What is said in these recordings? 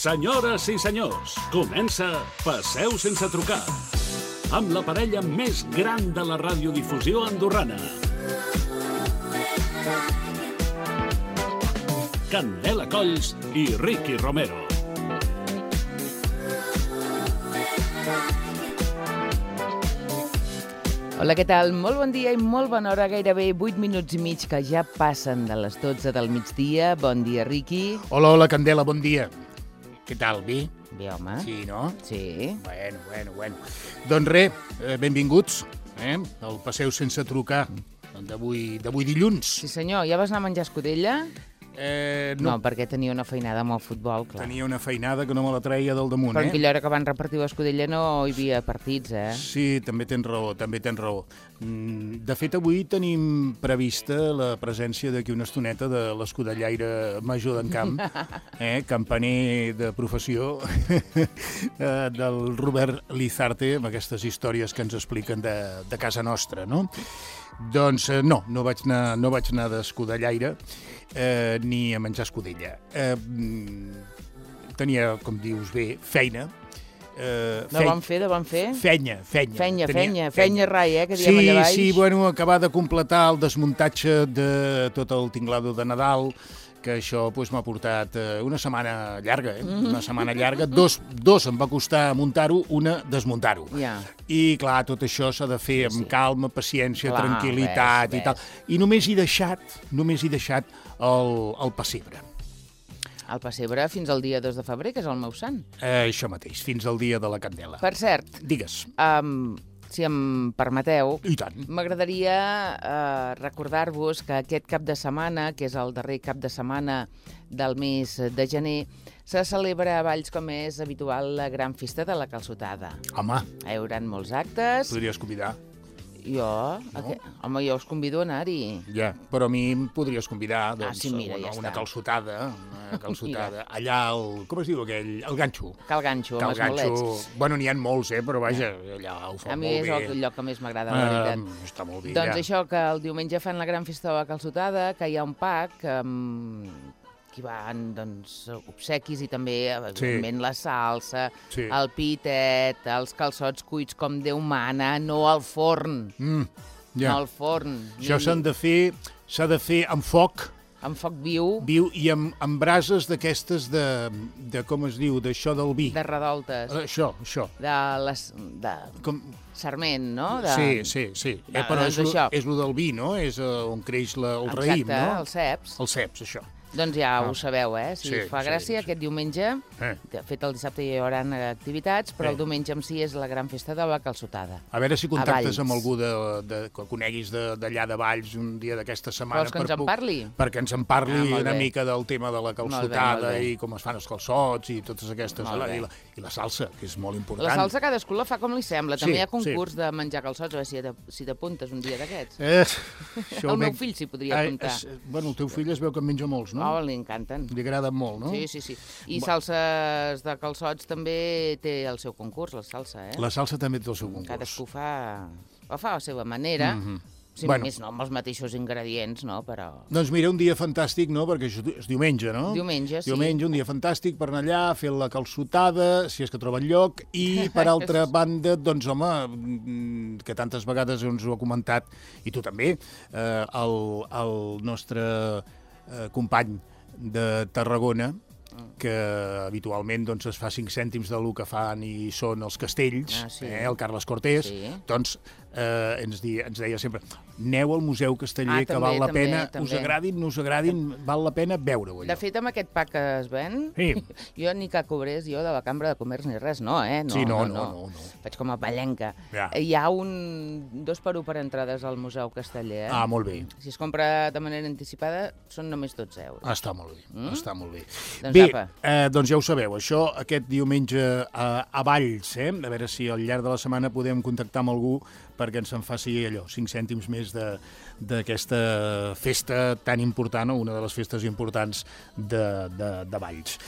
Senyores i senyors, comença Passeu sense trucar, amb la parella més gran de la radiodifusió andorrana. Candela Colls i Ricky Romero. Hola, què tal? Molt bon dia i molt bona hora, gairebé 8 minuts i mig que ja passen de les 12 del migdia. Bon dia, Ricky. Hola, Candela, bon dia. Què tal, bé? Bé, home. Sí, no? Sí. Bueno. Doncs res, benvinguts al Passeu sense trucar d'avui dilluns. Sí, senyor. Ja vas anar a menjar escudella? No, perquè tenia una feinada amb el futbol, clar. tenia una feinada que no me la treia del damunt, Però en aquella hora que van repartir l'escudella no hi havia partits, Sí, també tens raó. De fet, avui tenim prevista la presència d'aquí una estoneta de l'escudellaire major d'en Camp, campaner de professió, del Robert Lizarte, amb aquestes històries que ens expliquen de casa nostra, no? Doncs no vaig anar d'escudellaire ni a menjar escudella. Tenia, com dius bé, feina. De bon fer? Fenya, rai, que diem allà baix. Sí, bueno, acabar de completar el desmuntatge de tot el tinglado de Nadal, que això m'ha portat una setmana llarga, una setmana llarga. Dos em va costar muntar-ho, una desmuntar-ho. Ja. I, clar, tot això s'ha de fer amb calma, paciència, tranquil·litat i tal. I només he deixat el pessebre. El pessebre fins al dia 2 de febrer, que és el meu sant. Això mateix, fins al dia de la Candela. Per cert, digues. Si em permeteu, I tant. m'agradaria recordar-vos que aquest cap de setmana, que és el darrer cap de setmana del mes de gener, se celebra a Valls, com és habitual, la gran festa de la calçotada. Home, Hi haurà molts actes. podries convidar. Jo? No? Home, jo us convido a anar-hi. Ja, però a mi em podries convidar sí, mira, ja una està. calçotada, allà com es diu aquell? El ganxo. Cal ganxo, amb els bolets. Bueno, n'hi ha molts, però vaja, allà ho fan A mi molt bé. és el lloc que més m'agrada, la veritat. Està molt bé, Doncs això, que el diumenge fan la gran festa de la calçotada, que hi ha un pack que hi van obsequis i també, evidentment, la salsa, Sí. el pitet, els calçots cuits com Déu mana, no al forn. Ja. No al forn. Això s'ha de fer amb foc Amb foc viu, i amb brases d'aquestes de com es diu, d'això del vi. de redoltes, Això. de sarment, no? Sí. Però doncs això. és lo del vi, no? És on creix el raïm, no? Exacte, els ceps. Els ceps, això. Doncs ja ho sabeu, Si Sí, us fa gràcia, sí. aquest diumenge, de fet el dissabte hi haurà activitats, però el diumenge en si és la gran festa de la calçotada. A veure si contactes Valls. amb algú que coneguis d'allà de Valls un dia d'aquesta setmana. Vols que ens en parli? Perquè ens en parli molt una bé. mica del tema de la Molt calçotada bé. i com es fan els calçots i totes aquestes... Molt bé. I la salsa, que és molt important. La salsa cadascú la fa com li sembla. També Sí, hi ha concurs de menjar calçots, a veure si t'apuntes un dia d'aquests. El meu fill s'hi podria apuntar. Bueno, el teu fill es veu que en menja molts, no? Oh, li encanten. Li agraden molt, no? Sí. I salses de calçots també té el seu concurs, la salsa, La salsa també té el seu concurs. Cadascú fa a la seva manera. Si més no, amb els mateixos ingredients, no? Però... Doncs mira, un dia fantàstic, no? Perquè és diumenge, no? Diumenge, sí. Diumenge, un dia fantàstic per anar allà, fer la calçotada, si és que troben lloc, i per altra banda, doncs home, que tantes vegades ens ho ha comentat, i tu també, el nostre company de Tarragona, que habitualment doncs, es fa 5 cèntims del que fan i són els castells, el Carles Cortés, doncs ens deia sempre, aneu al Museu Casteller, que val la pena, us agradin, no us agradin, val la pena veure-ho. De fet, amb aquest pack que es ven, jo ni que cobrés jo de la Cambra de Comerç ni res, no. No. Faig com a pallenca. Hi ha 2 per 1 per entrades al Museu Casteller. Ah, molt bé. Si es compra de manera anticipada, són només 12 euros. Està molt bé. Doncs doncs ja ho sabeu, això aquest diumenge a Valls, a veure si al llarg de la setmana podem contactar amb algú perquè ens en faci allò, 5 cèntims més d'aquesta festa tan important, o una de les festes importants de Valls.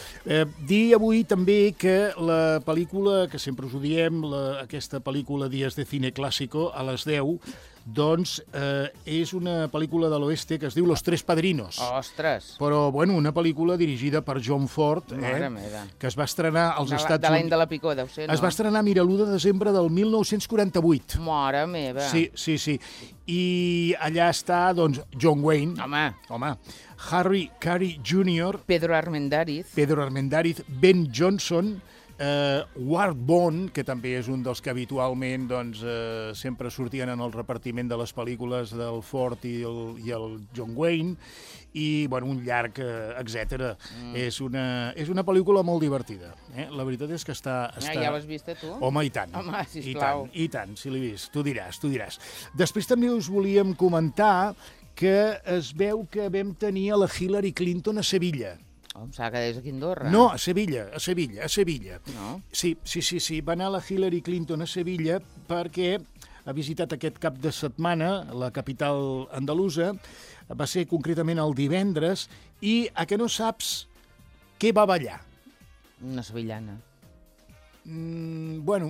Dir avui també que la pel·lícula, que sempre us ho diem, aquesta pel·lícula Días de Cine Clásico, a les 10, doncs és una pel·lícula de l'oeste que es diu Los Tres Padrinos. Ostres! Però, bueno, una pel·lícula dirigida per John Ford, que es va estrenar als Estats Units. De l'any de la picó, deu ser, no? Es va estrenar, mira, l'1 de desembre del 1948. Mare meva! Sí. I allà està, doncs, John Wayne. Home. Harry Carey Jr. Pedro Armendáriz. Ben Johnson, Ward Bond, que també és un dels que habitualment doncs, sempre sortien en el repartiment de les pel·lícules del Ford i el John Wayne, i bueno, un llarg, etc. És una pel·lícula molt divertida. La veritat és que està... Ja l'has vist, tu? Home, i tant. Home, sisplau. I tant, si l'he vist. Tu diràs. Després també us volíem comentar que es veu que vam tenir a la Hillary Clinton a Sevilla. Em sembla que és aquí a Andorra. No, a Sevilla. No? Sí. Va anar la Hillary Clinton a Sevilla perquè ha visitat aquest cap de setmana la capital andalusa, va ser concretament el divendres, i a que no saps què va ballar? Una sevillana. Bueno,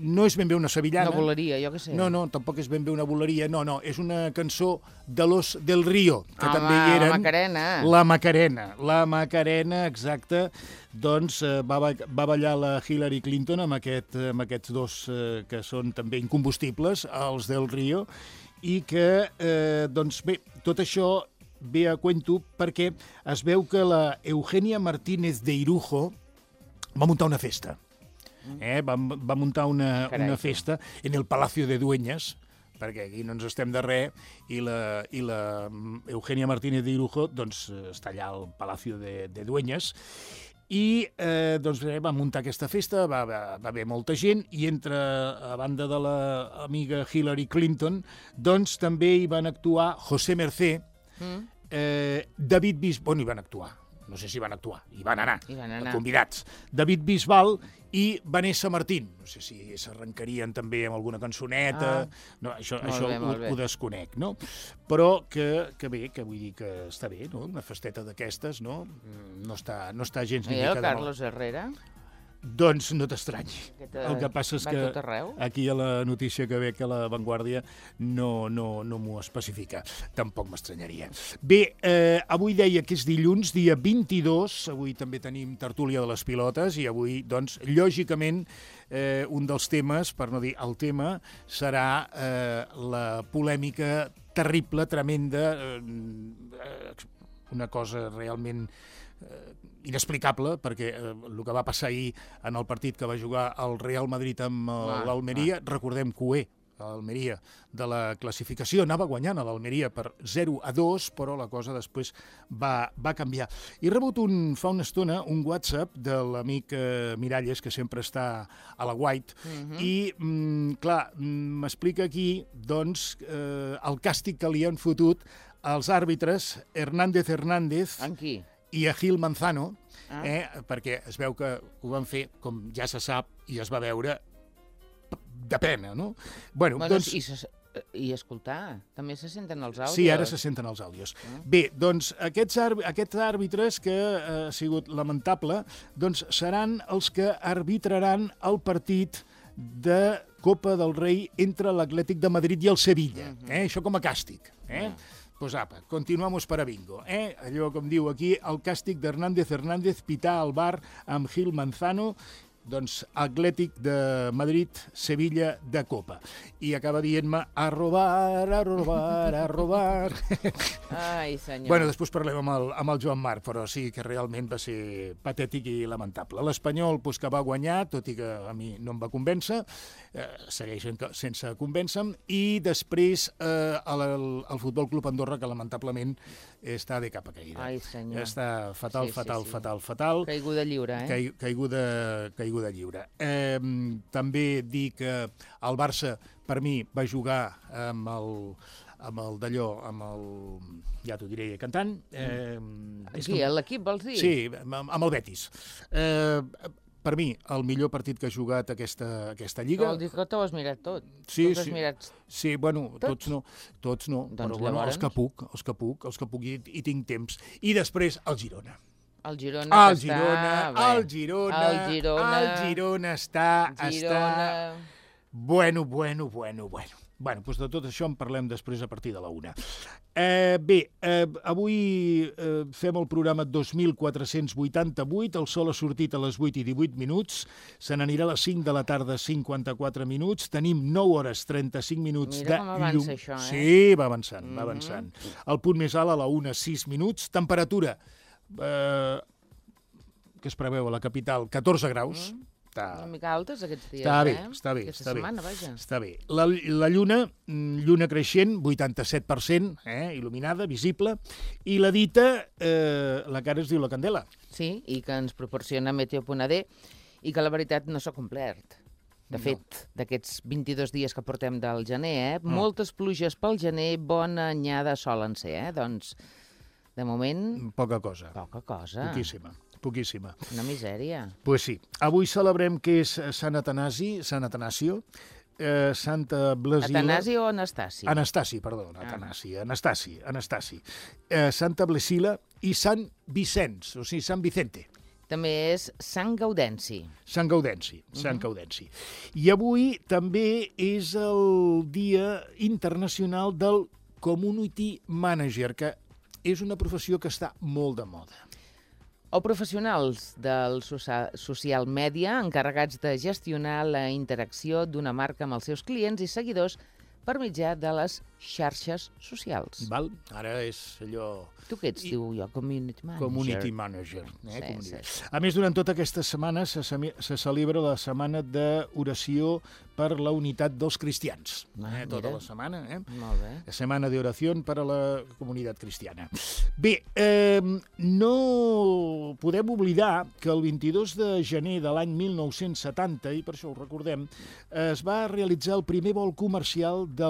no és ben bé una sevillana. Una boleria, jo què sé. No, tampoc és ben bé una boleria. No, és una cançó de Los del Río, que també hi eren. La Macarena. La Macarena, exacte. Doncs va ballar la Hillary Clinton amb aquests dos que són també incombustibles, els del Río, i que, doncs bé, tot això ve a cuento perquè es veu que la Eugenia Martínez de Irujo va muntar una festa. Va muntar una festa en el Palacio de Dueñas, perquè aquí no ens estem de res, i la Eugenia Martínez de Irujo doncs, està allà al Palacio de Dueñas, i doncs, va muntar aquesta festa, va haver molta gent, i a banda de l'amiga Hillary Clinton, doncs també hi van actuar José Mercè, David Bisbal, bueno, hi van actuar, no sé si van actuar, hi van anar. Convidats. David Bisbal i Vanessa Martín. No sé si s'arrencarien també amb alguna cançoneta. No, això ho desconec, no? Però que bé, que vull dir que està bé, no? Una festeta d'aquestes, no? No està gens ni mica de mal. I el Carlos Herrera? Doncs no t'estranyi. El que passa és que aquí a la notícia que ve que La Vanguardia no m'ho especifica. Tampoc m'estranyaria. Bé, avui deia que és dilluns, dia 22, avui també tenim tertúlia de les pilotes, i avui, doncs, lògicament, un dels temes, per no dir el tema, serà la polèmica terrible, tremenda, una cosa realment inexplicable, perquè el que va passar ahir en el partit que va jugar el Real Madrid amb l'Almeria, recordem que l'Almeria de la classificació anava guanyant a l'Almeria per 0-2, però la cosa després va canviar. He rebut fa una estona un WhatsApp de l'amic Miralles, que sempre està a la White, i, clar, m'explica aquí, doncs, el càstig que li han fotut als àrbitres Hernández i a Gil Manzano, perquè es veu que ho van fer, com ja se sap, i es va veure de pena, no? Bueno, doncs... I escoltar, també se senten els àudios? Sí, ara se senten els àudios. Bé, doncs aquests àrbitres, que ha sigut lamentable, doncs seran els que arbitraran el partit de Copa del Rei entre l'Atlètic de Madrid i el Sevilla. Això com a càstig. Pues apa, continuamos para bingo. Allò com diu aquí, el càstig d'Hernández pitar al bar amb Gil Manzano, doncs Atlètic de Madrid, Sevilla de Copa. I acaba dient-me a robar. Ai, senyor. Bueno, després parlem amb el Joan Marc, però sí que realment va ser patètic i lamentable. L'Espanyol, doncs, que va guanyar, tot i que a mi no em va convèncer, segueix sense convèncer-me, i després el Futbol Club Andorra, que lamentablement està de capa caïda. Ai, senyor. Està fatal. Caiguda lliure, Caiguda lliure. També dir que el Barça, per mi, va jugar amb el d'allò, ja t'ho diré cantant. Aquí, l'equip, vols dir? Sí, amb el Betis. per mi, el millor partit que ha jugat aquesta Lliga. Vol dir que t'ho has mirat tot. Sí, has sí. mirat... Sí, bueno, tots no, Doncs però bueno, llavors... els que puc i tinc temps. I després el Girona. El Girona està... Bueno. Bueno, doncs de tot això en parlem després a partir de la 1. Avui fem el programa 2488, el sol ha sortit a les 8 i 18 minuts, se n'anirà a les 5 de la tarda 54 minuts, tenim 9 hores 35 minuts de llum. Mira com avança això, Sí, va avançant. El punt més alt a la 1, 6 minuts, temperatura que es preveu a la capital, 14 graus. Una mica altes aquests dies, Està bé. Aquesta setmana, vaja. Està bé. La lluna creixent, 87%, il·luminada, visible, i la dita, la cara es diu la candela. Sí, i que ens proporciona Meteo.d i que la veritat no s'ha complert. De fet, d'aquests 22 dies que portem del gener, moltes pluges pel gener, bona anyada solen ser, doncs, de moment... Poca cosa. Poquíssima. Una misèria. Pues sí. Avui celebrem que és Sant Atanasio, Santa Blasila... Atanasi o Anastasi? Anastasi. Santa Blasila i Sant Vicenç, o sigui, Sant Vicente. També és Sant Gaudenci. Sant Gaudenci. I avui també és el Dia Internacional del Community Manager, que és una professió que està molt de moda. O professionals del social media encarregats de gestionar la interacció d'una marca amb els seus clients i seguidors per mitjà de les xarxes socials. Val? Ara és allò... Tu què ets, diu jo? Community manager. Community manager. Sí. A més, durant tota aquesta setmana se celebra la setmana d'oració per la unitat dels cristians. Tota la setmana. Molt bé. La setmana d'oració per a la comunitat cristiana. Bé, no podem oblidar que el 22 de gener de l'any 1970, i per això ho recordem, es va realitzar el primer vol comercial de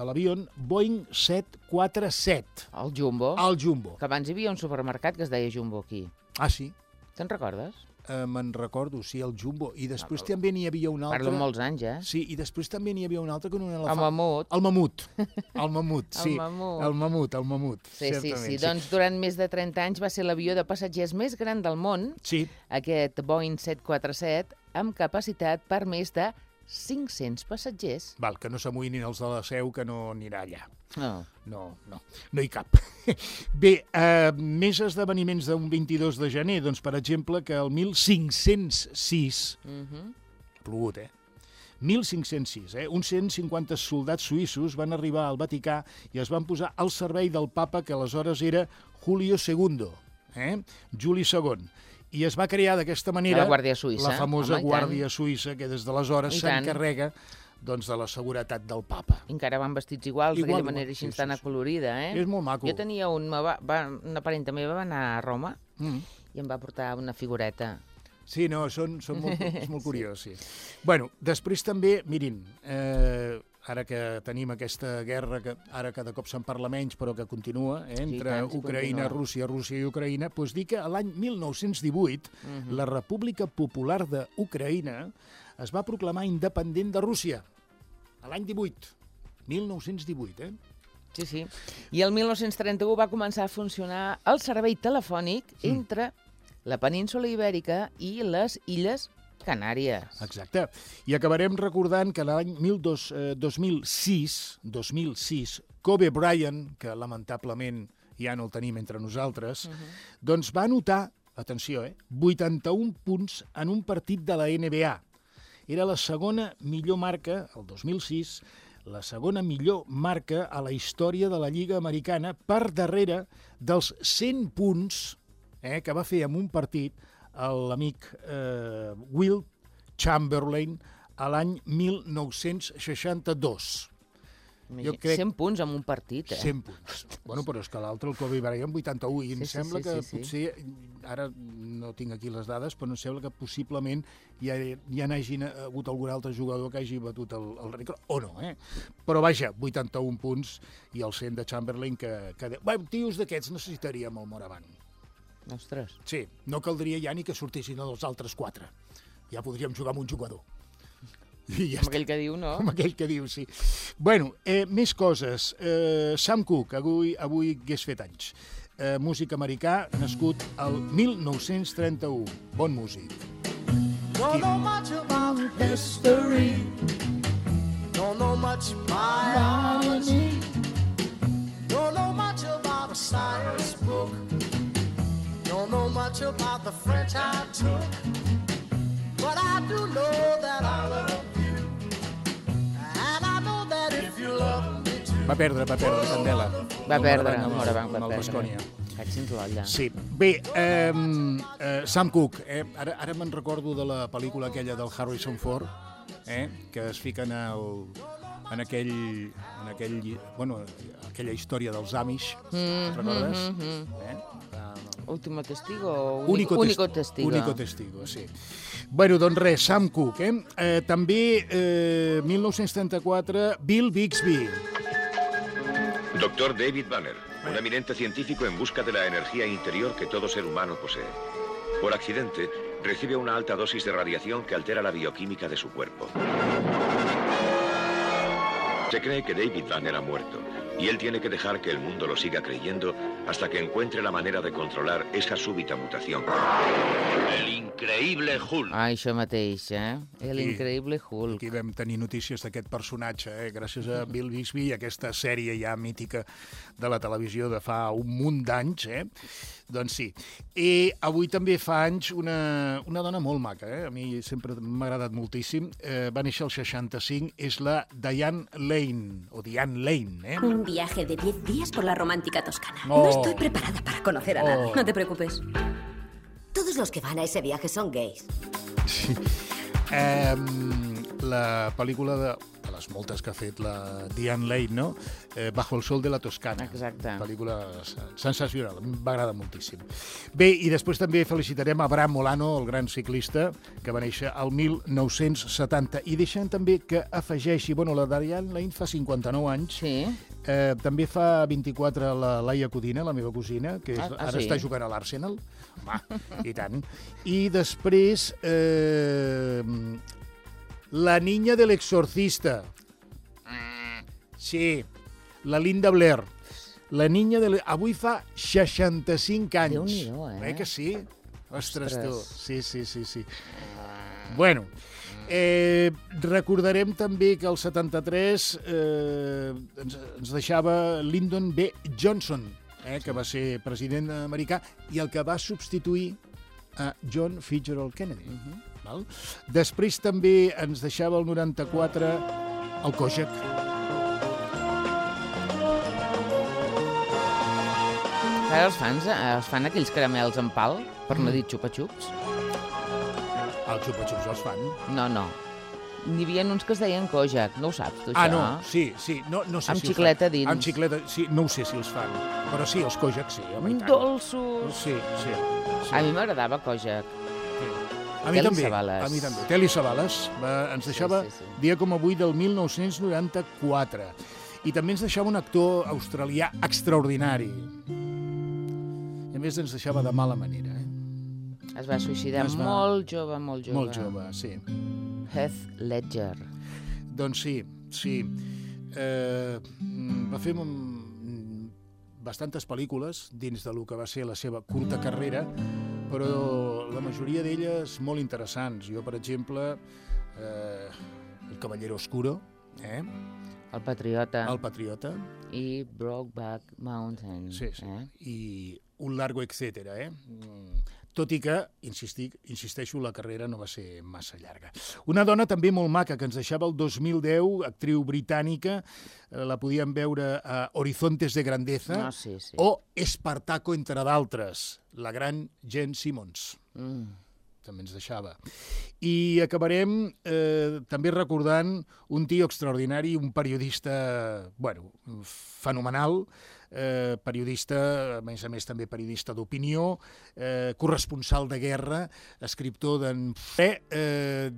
l'avió Boeing 747. El Jumbo. El Jumbo. Que abans hi havia un supermercat que es deia Jumbo aquí. Ah, sí? Te'n recordes? Me'n recordo, sí, el Jumbo. I després també n'hi havia un altre... Parlo molts anys, Sí, i després també n'hi havia un altre que no era el Mamut. El Mamut, sí. El Mamut. Sí. Doncs durant més de 30 anys va ser l'avió de passatgers més gran del món, aquest Boeing 747, amb capacitat per més de 500 passatgers. Val, que no s'amoïnin els de la Seu, que no anirà allà. No hi cap. Bé, més esdeveniments d'un 22 de gener, doncs, per exemple, que el 1506, ha plogut, 1506, uns 150 soldats suïssos van arribar al Vaticà i es van posar al servei del papa, que aleshores era Julio II, Juli II. I es va crear d'aquesta manera la famosa Guàrdia Suïssa, que des d'aleshores s'encarrega de la seguretat del papa. Encara van vestits iguals, d'aquella manera així tan acolorida, És molt maco. Jo tenia una parenta meva va anar a Roma i em va portar una figureta. Sí, no, és molt curiós, sí. Bueno, després també, mirin, ara que tenim aquesta guerra, que ara cada cop se'n parla menys, però que continua, entre Ucraïna, Rússia i Ucraïna, doncs dir que l'any 1918 la República Popular d'Ucraïna es va proclamar independent de Rússia. A l'any 1918, Sí. I el 1931 va començar a funcionar el servei telefònic entre la península Ibèrica i les Illes Canàries. Exacte. I acabarem recordant que l'any 2006, Kobe Bryant, que lamentablement ja no el tenim entre nosaltres, doncs va anotar, atenció, 81 punts en un partit de la NBA. Era la segona millor marca, el 2006, la segona millor marca a la història de la Lliga Americana, per darrere dels 100 punts que va fer en un partit l'amic Wilt Chamberlain a l'any 1962. 100 punts en un partit, 100 punts. Bueno, però és que l'altre, el Kobe Bryant, 81, i em sembla que potser, ara no tinc aquí les dades, però em sembla que possiblement ja n'hagi hagut algun altre jugador que hagi batut el rècord, o no, Però vaja, 81 punts i el 100 de Chamberlain, que tios d'aquests necessitaríem el Moravant. Ostres. Sí, no caldria ja ni que sortissin els altres 4. Ja podríem jugar amb un jugador. I ja Amb aquell que diu, no? Amb aquell que diu, sí. Bueno, més coses. Sam Cooke, avui hagués fet anys. Músic americà, nascut al 1931. Bon músic. Don't know much about history. Don't know much biology. Don't know much about a science book. Don't know much about the French I took. But I do know that I love you. And I know that if you love me too. Va perdre Candela. Va perdre, amb Morabanc va el perdre. Baskonia. Cacins l'olla. Sí. Bé, Sam Cooke, ara me'n recordo de la pel·lícula aquella del Harrison Ford, que es fiquen en aquella història dels Amish, recordes? Último testigo o Único testigo? Único testigo, sí. Bueno, doncs res, Sam Cooke. També, 1934, Bill Bixby. Doctor David Banner, un eminente científico en busca de la energía interior que todo ser humano posee. Por accidente, recibe una alta dosis de radiación que altera la bioquímica de su cuerpo. Se cree que David Banner ha muerto, y él tiene que dejar que el mundo lo siga creyendo hasta que encuentre la manera de controlar esa súbita mutación. El increïble Hulk. Això mateix, L'increïble Hulk. Aquí vam tenir notícies d'aquest personatge, gràcies a Bill Bixby i aquesta sèrie ja mítica de la televisió de fa un munt d'anys, Doncs sí. I avui també fa anys una dona molt maca, A mi sempre m'ha agradat moltíssim. Va néixer al 65, és la Diane Lane, o Diane Lane, Un viaje de 10 días por la romántica Toscana. Oh. No estoy preparada para conocer a nadie. Oh. No te preocupes. Todos los que van a ese viaje son gays. Sí. La pel·lícula de les moltes que ha fet la Diane Lane, no? Bajo el sol de la Toscana. Exacte. Pel·lícula sensacional, m'agrada moltíssim. Bé, i després també felicitarem a Bram Molano, el gran ciclista, que va néixer al 1970. I deixem també que afegeixi, la Diane Lane fa 59 anys, Sí. també fa 24 la Laia Codina, la meva cosina, que ara sí? està jugant a l'Arsenal. Home, i tant. I després... La niña del exorcista. Sí, la Linda Blair. La niña del... Avui fa 65 anys. Déu-n'hi-do, Que sí? Ostres, tu. Ostres. Sí. Bueno, recordarem també que el 73 ens deixava Lyndon B. Johnson, que va ser president americà i el que va substituir a John Fitzgerald Kennedy. Val? Després també ens deixava el 94 el Kojak. Ara els fan aquells caramels en pal, per no dir xupa-xups? Els xupa-xups els fan. No. N'hi havia uns que es deien Kojak, no ho saps, tu, això? No, sí. No sé Amb si xicleta els fan. dins. Amb xicleta, sí, no ho sé si els fan. Però sí, els Kojak sí, home, i tant. Dolços! Sí. A mi m'agradava Kojak. A mi Telly també. Savalas. A mi també. Telly Savalas ens deixava sí. dia com avui del 1994. I també ens deixava un actor australià extraordinari. I a més ens deixava de mala manera. Es va suïcidar molt jove. Molt jove, sí. Heath Ledger. Doncs sí. Va fer bastantes pel·lícules dins de lo que va ser la seva curta carrera, però la majoria d'elles molt interessants. Jo, per exemple, El Caballero Oscuro, El Patriota. El Patriota. I Brokeback Mountain. Sí. I Un largo etcètera, Tot i que, insisteixo, la carrera no va ser massa llarga. Una dona també molt maca, que ens deixava el 2010, actriu britànica, la podíem veure a Horizontes de Grandeza, Sí. o Espartaco, entre d'altres, la gran Jane Simmons. També ens deixava. I acabarem també recordant un tio extraordinari, un periodista, fenomenal, periodista, a més també periodista d'opinió, corresponsal de guerra, escriptor d'en...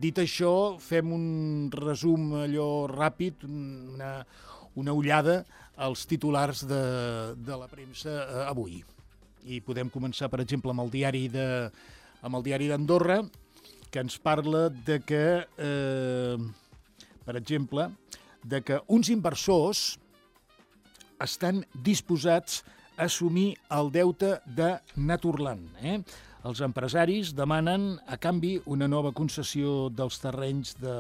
Dit això, fem un resum allò ràpid, una ullada als titulars de la premsa avui. I podem començar, per exemple, amb el diari d'Andorra, que ens parla de que, per exemple, de que uns inversors estan disposats a assumir el deute de Naturland. Els empresaris demanen, a canvi, una nova concessió dels terrenys de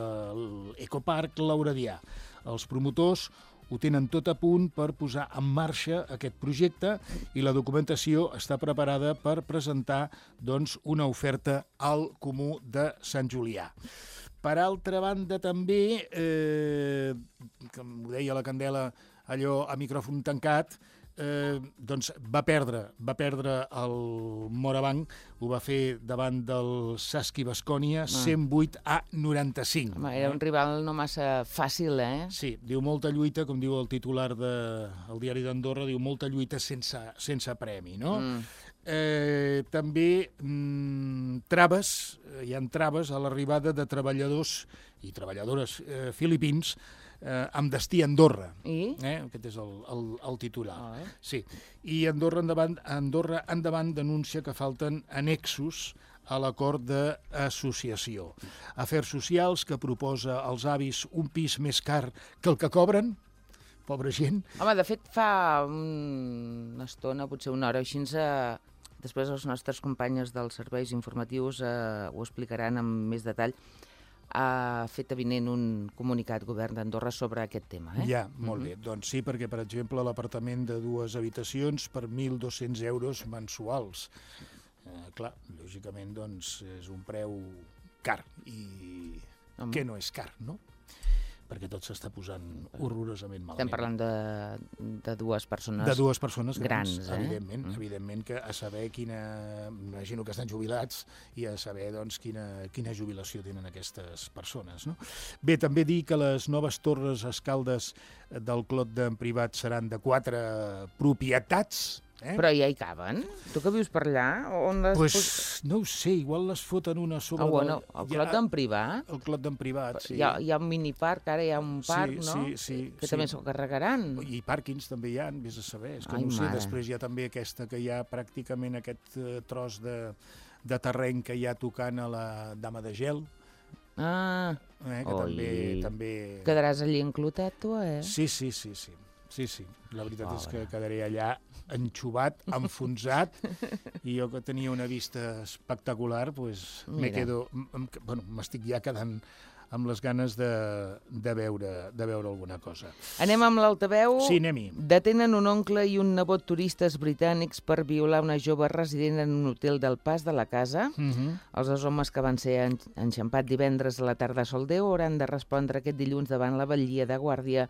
l'Ecoparc Lauradià. Els promotors ho tenen tot a punt per posar en marxa aquest projecte i la documentació està preparada per presentar doncs, una oferta al Comú de Sant Julià. Per altra banda, també, com ho deia la Candela, allò a micròfon tancat, doncs va perdre el Morabanc, ho va fer davant del Saski Baskonia, 108-95. Home, era un rival no massa fàcil, Sí, diu molta lluita, com diu el titular del diari d'Andorra, diu molta lluita sense premi, no? També hi ha traves a l'arribada de treballadors i treballadores filipins amb destí a Andorra. Aquest és el titular. Sí. I Andorra endavant denuncia que falten annexos a l'acord d'associació. Afers socials que proposa als avis un pis més car que el que cobren. Pobra gent. Home, de fet, fa una estona, potser una hora, així després els nostres companyes dels serveis informatius ho explicaran amb més detall. Ha fet avinent un comunicat govern d'Andorra sobre aquest tema. Ja, molt bé. Doncs sí, perquè, per exemple, l'apartament de 2 habitacions per 1.200 euros mensuals. Clar, lògicament, doncs, és un preu car. I què no és car, no? Perquè tot s'està posant horrorosament malament. Estem parlant de dues persones de dues persones grans, evidentment que a saber imagino que estan jubilats i a saber doncs, quina jubilació tenen aquestes persones. No? Bé, també dir que les noves torres escaldes del Clot d'en Privat seran de 4 propietats. Però ja hi caben? Tu que vius per allà? No ho sé, igual les foten una sobre... El Clot d'en Privat? El Clot d'en Privat, sí. Hi ha un miniparc, ara hi ha un parc, no? Sí. Que també s'ho carregaran. I pàrquings també hi ha, vés a saber. És que no ho sé, després hi ha també aquesta que hi ha pràcticament aquest tros de terreny que hi ha tocant a la Dama de Gel. Que també... Quedaràs allí enclotat, tu, Sí. La veritat és que quedaré allà enxuvat, enfonsat, i jo que tenia una vista espectacular, doncs m'estic ja quedant amb les ganes de veure alguna cosa. Anem amb l'altaveu. Sí, anem-hi. Detenen un oncle i un nebot turistes britànics per violar una jove resident en un hotel del Pas de la Casa. Els 2 homes que van ser enxampats divendres a la tarda a Soldeu hauran de respondre aquest dilluns davant la batllia de Guàrdia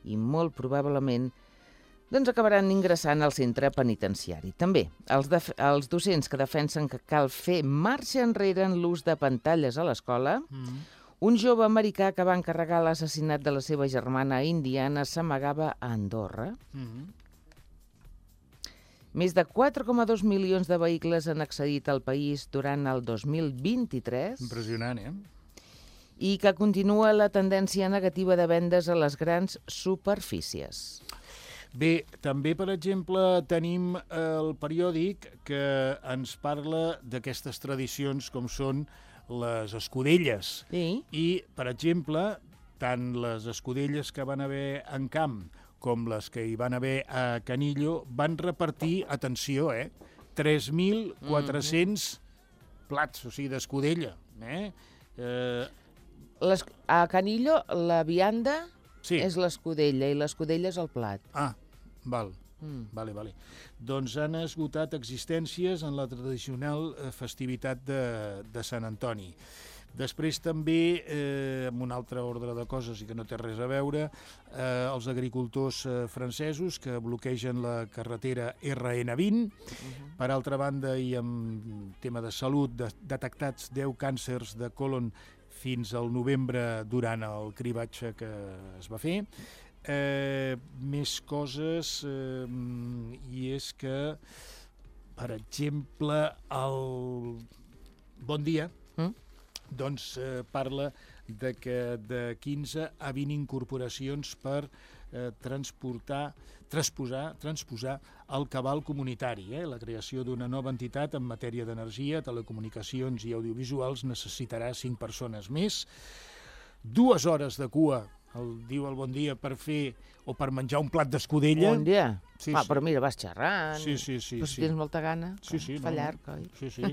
i molt probablement acabaran ingressant al centre penitenciari. També els docents que defensen que cal fer marxa enrere en l'ús de pantalles a l'escola. Un jove americà que va encarregar l'assassinat de la seva germana a Indiana s'amagava a Andorra. Més de 4,2 milions de vehicles han accedit al país durant el 2023. Impressionant, I que continua la tendència negativa de vendes a les grans superfícies. Bé, també, per exemple, tenim el periòdic que ens parla d'aquestes tradicions com són les escudelles. Sí. I, per exemple, tant les escudelles que van haver en Camp com les que hi van haver a Canillo van repartir, atenció, 3.400 plats, o sigui, d'escudella. A Canillo, la vianda és l'escudella i l'escudella és el plat. Val. Vale. Doncs han esgotat existències en la tradicional festivitat de Sant Antoni. Després també, amb un altre ordre de coses i que no té res a veure, els agricultors francesos que bloquegen la carretera RN20. Per altra banda, i en tema de salut, detectats 10 càncers de còlon fins al novembre durant el cribatge que es va fer. Més coses, i és que, per exemple, el Bon Dia doncs parla de que de 15 a 20 incorporacions per transposar el cabal comunitari. La creació d'una nova entitat en matèria d'energia, telecomunicacions i audiovisuals necessitarà 5 persones més, 2 hores de cua, diu el Bon Dia, per fer o per menjar un plat d'escudella. Bon dia. Sí, sí. Però mira, vas xerrant. Sí. Però si tens molta gana, fa llarg, oi? Sí.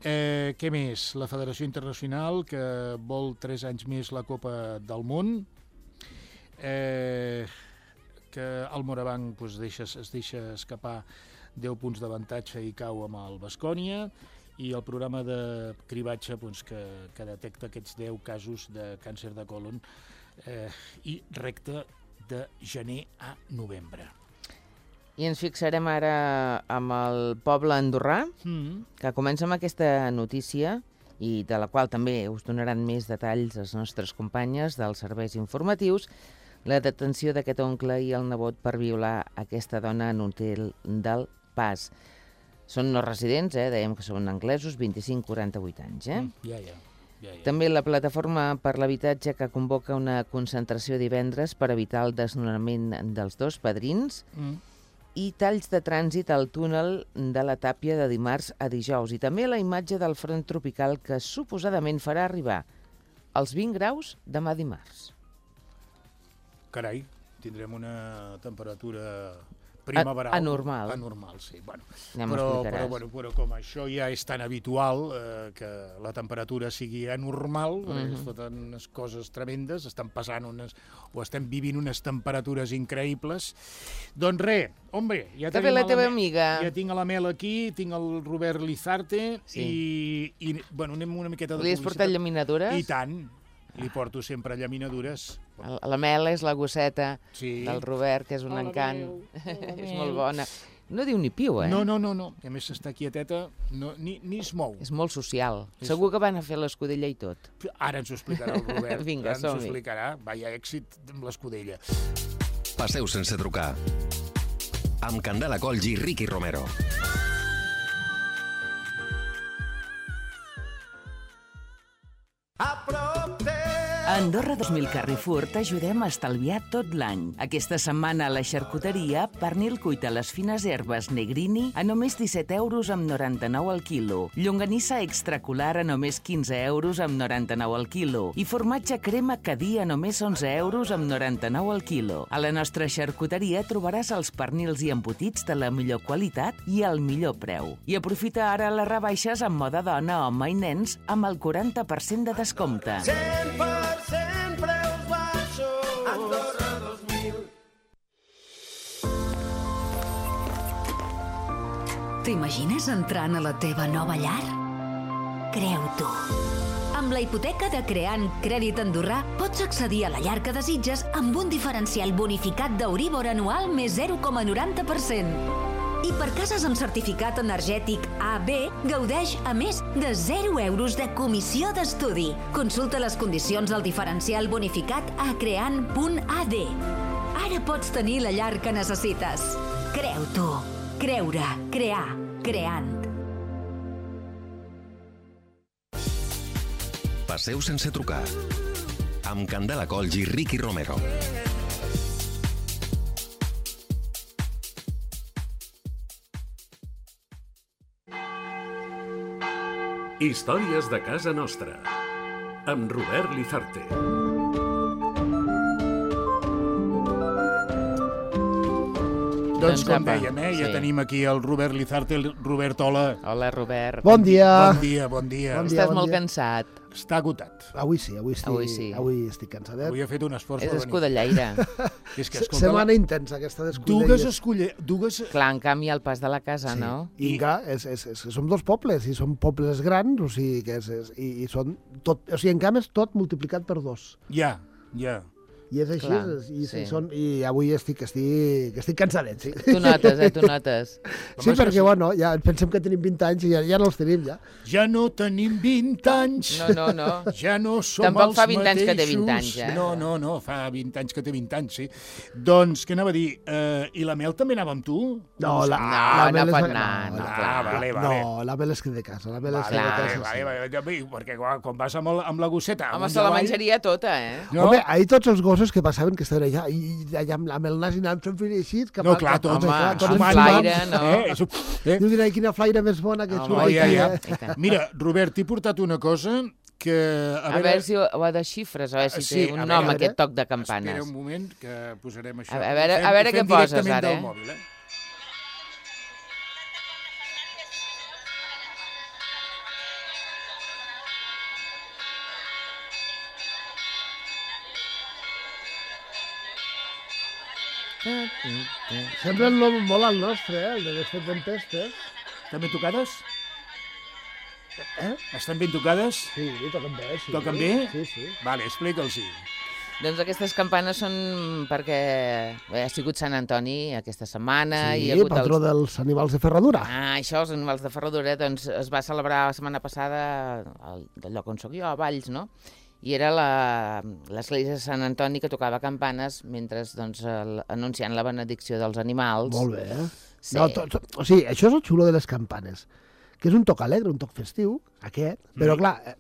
Què més? La Federació Internacional, que vol 3 anys més la Copa del Món, que el Morabanc es deixa escapar 10 punts d'avantatge i cau amb el Baskonia, i el programa de cribatge que detecta aquests 10 casos de càncer de còlon i recta de gener a novembre. I ens fixarem ara amb el poble andorrà, que comença amb aquesta notícia i de la qual també us donaran més detalls les nostres companyes dels serveis informatius, la detenció d'aquest oncle i el nebot per violar aquesta dona en un hotel del Pas. Són no residents, dèiem que són anglesos, 25-48 anys. Ja. També la plataforma per l'habitatge, que convoca una concentració divendres per evitar el desnonament dels 2 padrins, i talls de trànsit al túnel de la Tàpia de dimarts a dijous. I també la imatge del front tropical que suposadament farà arribar als 20 graus demà dimarts. Carai, tindrem una temperatura primaveral. Anormal. Anormal, sí. Bueno, Ja m'ho explicaràs. però com això ja és tan habitual, que la temperatura sigui anormal, es foten unes coses tremendes, estan passant estem vivint unes temperatures increïbles. Doncs res, hombre, ja Què ha fet la teva amiga? Ja tinc a la Mel aquí, tinc el Robert Lizarte, Sí. i bueno, anem una miqueta de Li has portat llaminadures? I tant, li porto sempre llaminadures. La Mel és la gosseta Sí. del Robert, que és un encant. És molt bona. No diu ni piu, No. A més, està quieteta, ni es mou. És molt social. Segur que van a fer l'escudella i tot. Ara ens ho explicarà el Robert. Vinga, Ara ens ho som-hi. explicarà. Vaya èxit amb l'escudella. Passeu sense trucar. Amb Candela Colls i Ricky Romero. A Andorra 2000 Carrefour t'ajudem a estalviar tot l'any. Aquesta setmana a la xarcuteria, pernil cuit a les fines herbes Negrini a només 17 euros amb 99 al quilo. Llonganissa extracular a només 15 euros amb 99 al quilo. I formatge crema Cadí a només 11 euros amb 99 al quilo. A la nostra xarcuteria trobaràs els pernils i embotits de la millor qualitat i al millor preu. I aprofita ara les rebaixes en moda dona, home i nens amb el 40% de descompte. 100% preus baixos. Andorra 2000. T'imagines entrant a la teva nova llar? Creu-t'ho. Amb la hipoteca de Creant Crèdit Andorrà pots accedir a la llar que desitges amb un diferencial bonificat d'Euríbor anual més 0,90%. I per cases amb certificat energètic AB, gaudeix a més de 0 euros de comissió d'estudi. Consulta les condicions del diferencial bonificat a creant.ad. Ara pots tenir la llar que necessites. Creu-t'ho. Creure. Crear. Creant. Passeu sense trucar. Amb Candela Colls i Ricky Romero. Històries de casa nostra, amb Robert Lizarte. Doncs com apa, dèiem, ja sí. tenim aquí el Robert Lizarte, el Robert, hola. Hola, Robert. Bon dia. Bon dia. Bon dia. Estàs molt cansat. Està agotat. Avui sí. Avui sí. Avui estic cansadet. Avui ha fet un esforç És per venir. escudellaire. És que, escolta, Setmana intensa, aquesta d'escudelles. Dues... Clar, en canvi, al pas de la casa, no? I clar, som 2 pobles, i són pobles grans, o sigui, que i són tot, o sigui, en canvi és tot multiplicat per 2. Ja. I és així, Clar, i avui estic cansadet, sí. Tu notes, tu notes. Sí, perquè, bueno, ja pensem que tenim 20 anys i ja no els tenim, ja. Ja no tenim 20 anys. No. Ja no som Tampoc els fa 20 anys mateixos. que té 20 anys, eh? No, fa 20 anys que té 20 anys, sí. Doncs, què anava a dir? I la Mel també anava amb tu? No, no pot anar, no, clar. Vale. No, la Mel es queda a casa, Vale, perquè quan vas amb la gosseta... Home, se la menjaria tota, eh? No? Home, ahir tots els gossos Mossos que passaven que estaven allà, i allà amb el nas i anàvem fent així... No, clar, tots. Home, un flaire, no? Dius, quina flaire més bona que ets. Mira, Robert, t'he portat una cosa que... A veure si ho desxifres, a veure si té un nom, aquest toc de campanes. Espera un moment, que posarem això. A veure què poses ara, Mòbil, Sembla el nom molt al nostre, el de Desfet Tempestes. Estan ben tocades? Estan ben tocades? Sí, toquen bé, sí. Toquen bé? Sí. Vale, explica'ls-hi. Doncs aquestes campanes són perquè ha sigut Sant Antoni aquesta setmana. Sí, hi ha hagut patró dels animals de ferradura. Això, els animals de ferradura, doncs es va celebrar la setmana passada del lloc on soc jo, a Valls, no? I era l'església de Sant Antoni que tocava campanes mentre doncs, anunciant la benedicció dels animals. Molt bé. Sí. No, o sigui, això és el xulo de les campanes, que és un toc alegre, un toc festiu, aquest, però clar,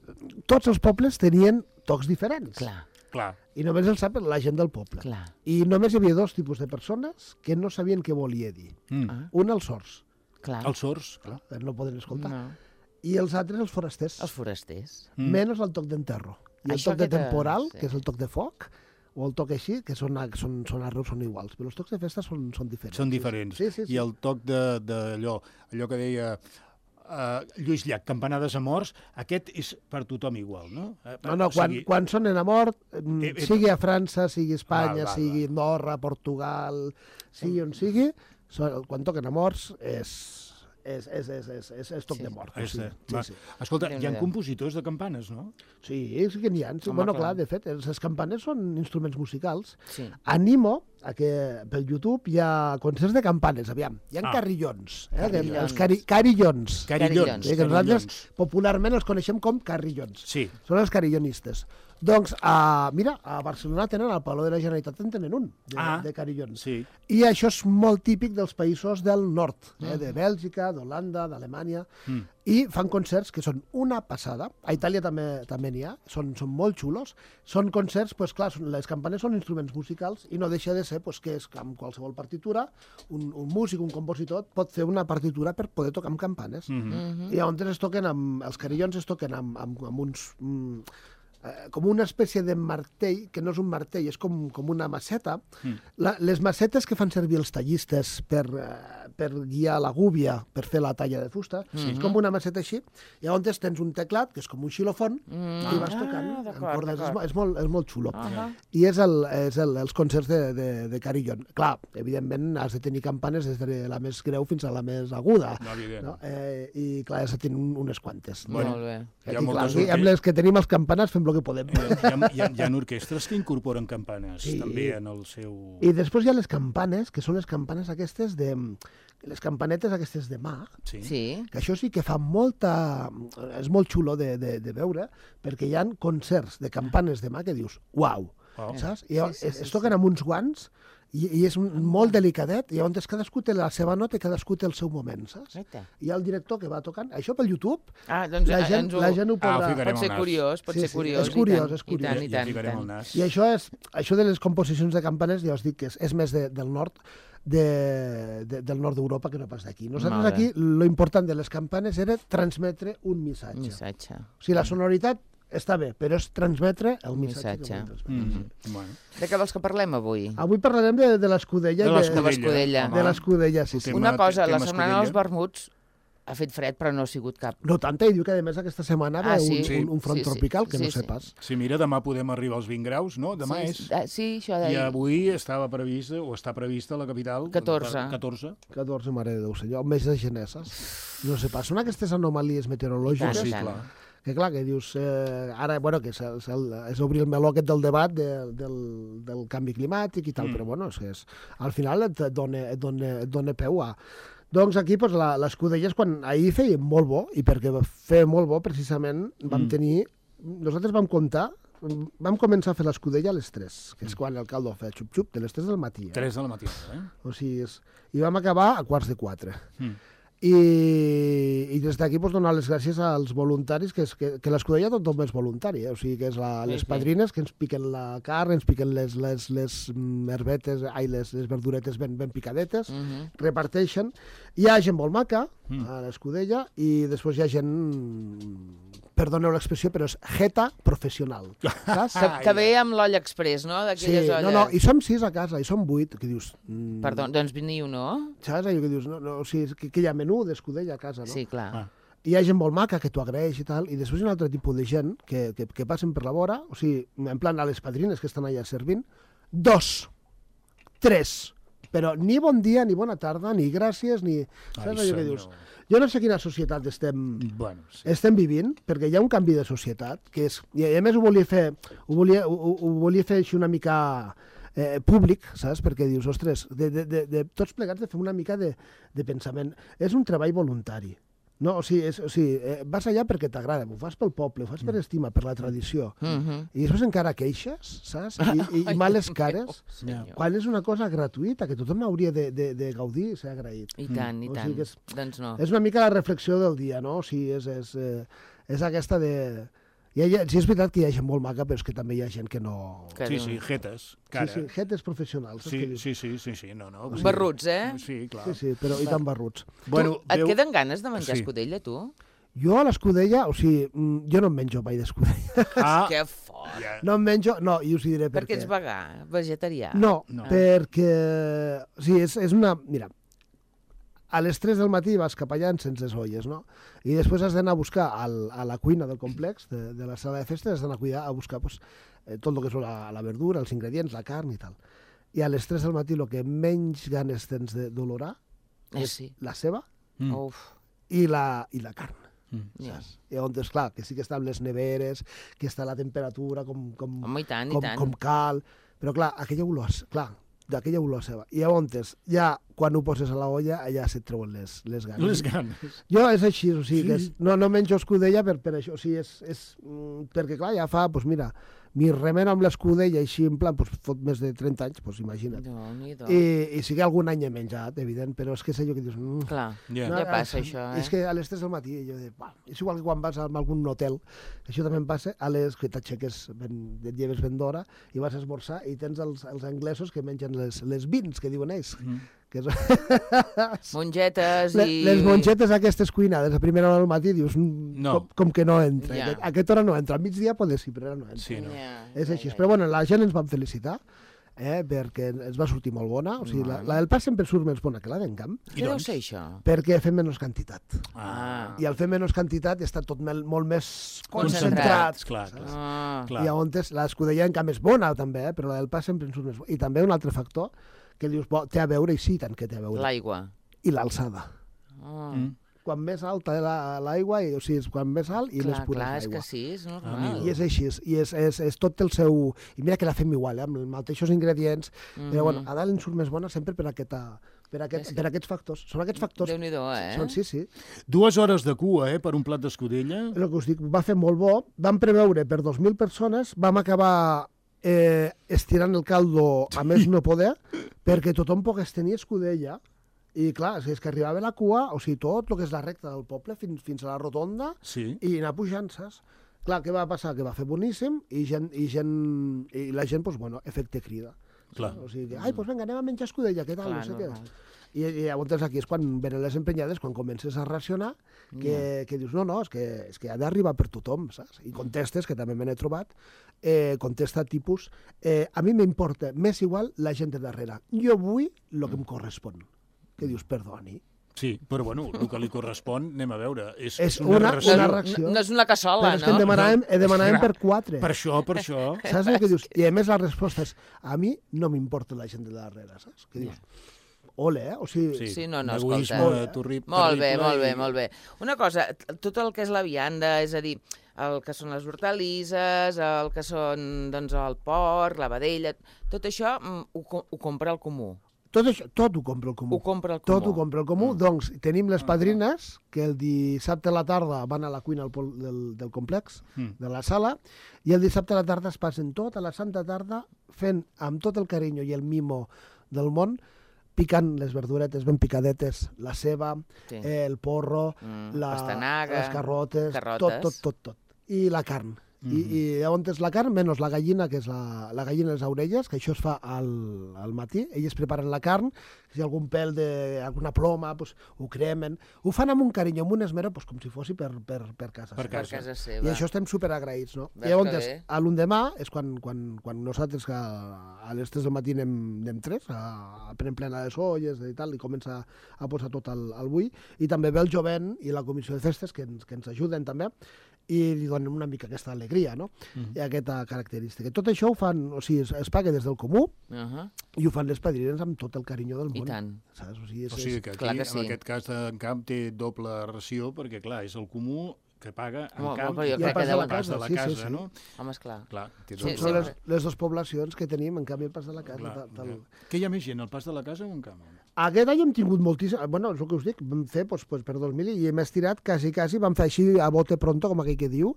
tots els pobles tenien tocs diferents. Clar. I només el sap la gent del poble. Clar. I només hi havia dos tipus de persones que no sabien què volia dir. Un, els sords. Clar. Els sords, clar. No poden escoltar. No. I els altres, els forasters. Els forasters. Menys el toc d'enterro. I el toc de temporal, que és el toc de foc, o el toc així, que són arreus, són iguals. Però els tocs de festa són diferents. Són diferents. Sí. I el toc d'allò que deia Lluís Llach, campanades a morts, aquest és per tothom igual, no? No, quan sonen a mort, sigui a França, sigui a Espanya, sigui a Andorra, Portugal, sigui on sigui, quan toquen a morts és toc de mort. Escolta, hi ha compositors de campanes, no? Sí que n'hi ha. Bueno, clar, de fet, les campanes són instruments musicals. Animo a que pel YouTube hi ha concerts de campanes, aviam. Hi ha carillons. Els carillons. Carillons. Que nosaltres popularment els coneixem com carillons. Sí. Són els carillonistes. Doncs, mira, a Barcelona tenen, al Palau de la Generalitat en tenen un, de carillons. Sí. I això és molt típic dels països del nord, de Bèlgica, d'Holanda, d'Alemanya, i fan concerts que són una passada. A Itàlia també n'hi ha, són molt xulos. Són concerts, doncs clar, les campanes són instruments musicals i no deixa de ser que és amb qualsevol partitura, un músic, un compositor, pot fer una partitura per poder tocar amb campanes. I llavors els carillons es toquen amb uns... com una espècie de martell, que no és un martell, és com una maceta. Les macetes que fan servir els tallistes per guiar la gúbia, per fer la talla de fusta, és com una maceta així. I llavors tens un teclat, que és com un xilòfon, i vas tocant amb cordes. És molt xulo. I és els concerts de carillon. Clar, evidentment has de tenir campanes des de la més greu fins a la més aguda. I clar, has de tenir unes quantes. Molt bé. I amb les que tenim els campanars fem el que podem. Hi ha orquestres que incorporen campanes també en el seu... I després hi ha les campanes, que són les campanes aquestes les campanetes aquestes de mà, que això sí que fa molta... És molt xulo de veure, perquè hi ha concerts de campanes de mà que dius, uau, saps? I es toquen amb uns guants i és molt delicadet, i llavors cadascú té la seva nota i cadascú té el seu moment, saps? Hi ha el director que va tocant, això pel YouTube, la gent ho podrà... Pot ser curiós, És curiós. I això de les composicions de campanes, ja us dic que és més del nord, del nord d'Europa que no pas d'aquí. Nosaltres aquí, lo important de les campanes era transmetre un missatge. O sigui, la sonoritat està bé, però és transmetre el missatge. De què vols que parlem avui? Avui parlarem de l'escudella. De l'escudella, sí. Una cosa, la setmana dels vermuts ha fet fred, però no ha sigut cap. No tanta, i diu que a més aquesta setmana ve un front tropical, que no sé pas. Sí, mira, demà podem arribar als 20 graus, no? Demà és. Sí, això deia. I avui estava previst, o està prevista a la capital... 14. 14, mare de Déu, senyor, un mes de geneses. No sé pas, són aquestes anomalies meteorològiques. Sí, clar. Que clar, que dius, ara, bueno, que és obrir el meló aquest del debat del canvi climàtic i tal, però bueno, al final et dona peu a... Doncs aquí, l'escudella és quan ahir feia molt bo, i perquè feia molt bo, precisament, vam tenir... Nosaltres vam comptar, vam començar a fer l'escudella a les 3, que és quan el caldo feia xup-xup, de les 3 del matí. 3 del matí, O sigui, i vam acabar a 3:45. I des d'aquí donar les gràcies als voluntaris, que l'Escudella tothom és voluntari, o sigui que és les padrines que ens piquen la carn, ens piquen les herbetes, les verduretes ben picadetes, reparteixen. Hi ha gent molt maca a l'Escudella i després hi ha gent, perdoneu l'expressió, però és jeta professional. Que ve amb l'olla express, no? D'aquelles olles. No, i som 6 a casa, i som 8, que dius... Perdó, doncs veniu, no? Saps allò que dius? O sigui, que hi ha menú d'Escudella a casa, no? Sí, clar. I hi ha gent molt maca que t'ho agraeix i tal, i després hi ha un altre tipus de gent que passen per la vora, o sigui, en plan a les padrines que estan allà servint, 2, 3, però ni bon dia, ni bona tarda, ni gràcies, ni... Saps allò que dius? Jo no sé quina societat estem vivint, perquè hi ha un canvi de societat, que és... I a més ho volia fer així una mica públic, saps? Perquè dius, ostres, de tots plegats de fer una mica de pensament. És un treball voluntari. No, o sigui, vas allà perquè t'agrada, ho fas pel poble, ho fas per estima, per la tradició. I després encara queixes, saps? I males cares, quan és una cosa gratuïta, que tothom hauria de gaudir i ser agraït. I tant, i tant. Doncs no. És una mica la reflexió del dia, no? O sigui, és aquesta de... Sí, és veritat que hi ha gent molt maca, però és que també hi ha gent que no... Sí, jetes, cara. Sí, jetes professionals. Sí, no. Barruts, Sí, clar. Sí, però i tan barruts. Et queden ganes de menjar escudella, tu? Jo a l'escudella, o sigui, jo no em menjo mai d'escudella. Que fort! No em menjo, no, i us diré per què. Perquè ets vegà, vegetarià. No, perquè... O sigui, és una... Mira, a les 3 del matí vas cap allà sense les olles, no? I després has d'anar a buscar a la cuina del complex, de la sala de festa, has d'anar a buscar tot el que és la verdura, els ingredients, la carn i tal. I a les 3 del matí el que menys ganes tens d'olorar és la ceba i la carn. I on és clar, que sí que està amb les neveres, que està a la temperatura com cal, però clar, aquella olor, d'aquella olor seva. I llavors, ja quan ho poses a la olla, allà se't treuen les ganes. Les ganes. Jo és així, o sigui, no menjo escudella per això, o sigui, perquè clar, ja fa, doncs mira, mi remena amb l'escudella així, en plan, fot més de 30 anys, doncs imagina't. I sí que algun any he menjat, evident, però és que és allò que dius... Clar, ja passa això, És que a les 3 del matí, jo dic, és igual que quan vas a algun hotel, això també em passa, que t'aixeques, et lleves ben d'hora, i vas a esmorzar, i tens els anglesos que mengen les beans, que diuen ells, mongetes i... Les mongetes aquestes cuinades a primera hora del matí, dius, com que no entra. A aquesta hora no entra. Al migdia poder sí, però ara no entra. És així. Però bueno, la gent ens van felicitar, perquè ens va sortir molt bona. O sigui, la del pa sempre surt més bona que la d'Encamp. Què deu ser això? Perquè fem menys quantitat. I al fer menys quantitat està tot molt més concentrat. Clar. I llavors l'escudella Encamp és bona també, però la del pa sempre ens surt més bona. I també un altre factor que dius, té a veure, i sí, tant que té a veure. L'aigua. I l'alçada. Quan més alta l'aigua, o sigui, quan més alt i més pura és l'aigua. és que sí, és normal. I és així, i és tot el seu... I mira que la fem igual, amb els mateixos ingredients, però bueno, a dalt en surt més bona sempre per aquests factors. Són aquests factors. Déu-n'hi-do, Sí. 2 hores de cua, per un plat d'escudella. El que us dic, va fer molt bo. Vam preveure per 2.000 persones, vam acabar estirant el caldo a més no poder, perquè tothom pogués tenir escudella. I clar, és que arribava la cua, o sigui, tot el que és la recta del poble fins a la rotonda, i anar pujant, saps? Clar, què va passar? Que va fer boníssim i la gent, doncs, bueno, efecte crida. Clar. O sigui, doncs vinga, anem a menjar escudella, què tal? No sé què. I llavors aquí és quan venen les emprenyades, quan comences a racionar, que dius, no, és que ha d'arribar per tothom, saps? I contestes, que també me n'he trobat, contesta tipus, a mi m'importa més igual la gent de darrere. Jo vull el que em correspon. Que dius, perdoni. Sí, però bueno, el que li correspon, anem a veure, és una ració. No és una cassola, no? Però és que demanàvem per 4. Per això. Saps el que dius? I a més la resposta és, a mi no m'importa la gent de darrere, saps? Que dius, ole, o sigui... Sí, no, escolta. Molt bé. Una cosa, tot el que és la vianda, és a dir, el que són les hortalisses, el que són, doncs, el porc, la vedella, tot això ho compra el comú. Tot ho compra el comú. Tot ho compra el comú. Doncs tenim les padrines, que el dissabte a la tarda van a la cuina del complex, de la sala, i el dissabte a la tarda es passen tota la santa tarda fent, amb tot el carinyo i el mimo del món, piquen les verduretes ben picadetes, la ceba, el porro, les carrotes, tot. I la carn. I llavors la carn, menys la gallina, que és la gallina de les orelles, que això es fa al matí. Elles preparen la carn, si hi ha algun pèl d'alguna ploma, ho cremen. Ho fan amb un carinyo, amb un esmero, com si fos per casa seva. Per casa seva. I això estem superagraïts, no? I llavors, a l'endemà, és quan nosaltres a les 3 del matí anem 3, prenem plena les olles i tal, i comença a posar tot al bull. I també ve el jovent i la comissió de festes, que ens ajuden també, i li donen una mica aquesta alegria, no? I aquesta característica. Tot això ho fan, o sigui, es paga des del comú i ho fan les padrines amb tot el carinyo del món. I tant. Saps? O sigui que aquí, en aquest cas d'en Camp, té doble ració, perquè, clar, és el comú que paga en Camp i el pas de la casa, no? Home, esclar. Són les dues poblacions que tenim, en canvi, el pas de la casa. Què hi ha més gent, el pas de la casa o en Camp? Aquest any hem tingut moltíssim... Bueno, és el que us dic, vam fer per 2.000 i hem estirat quasi, vam fer així a bote pronto, com aquell que diu,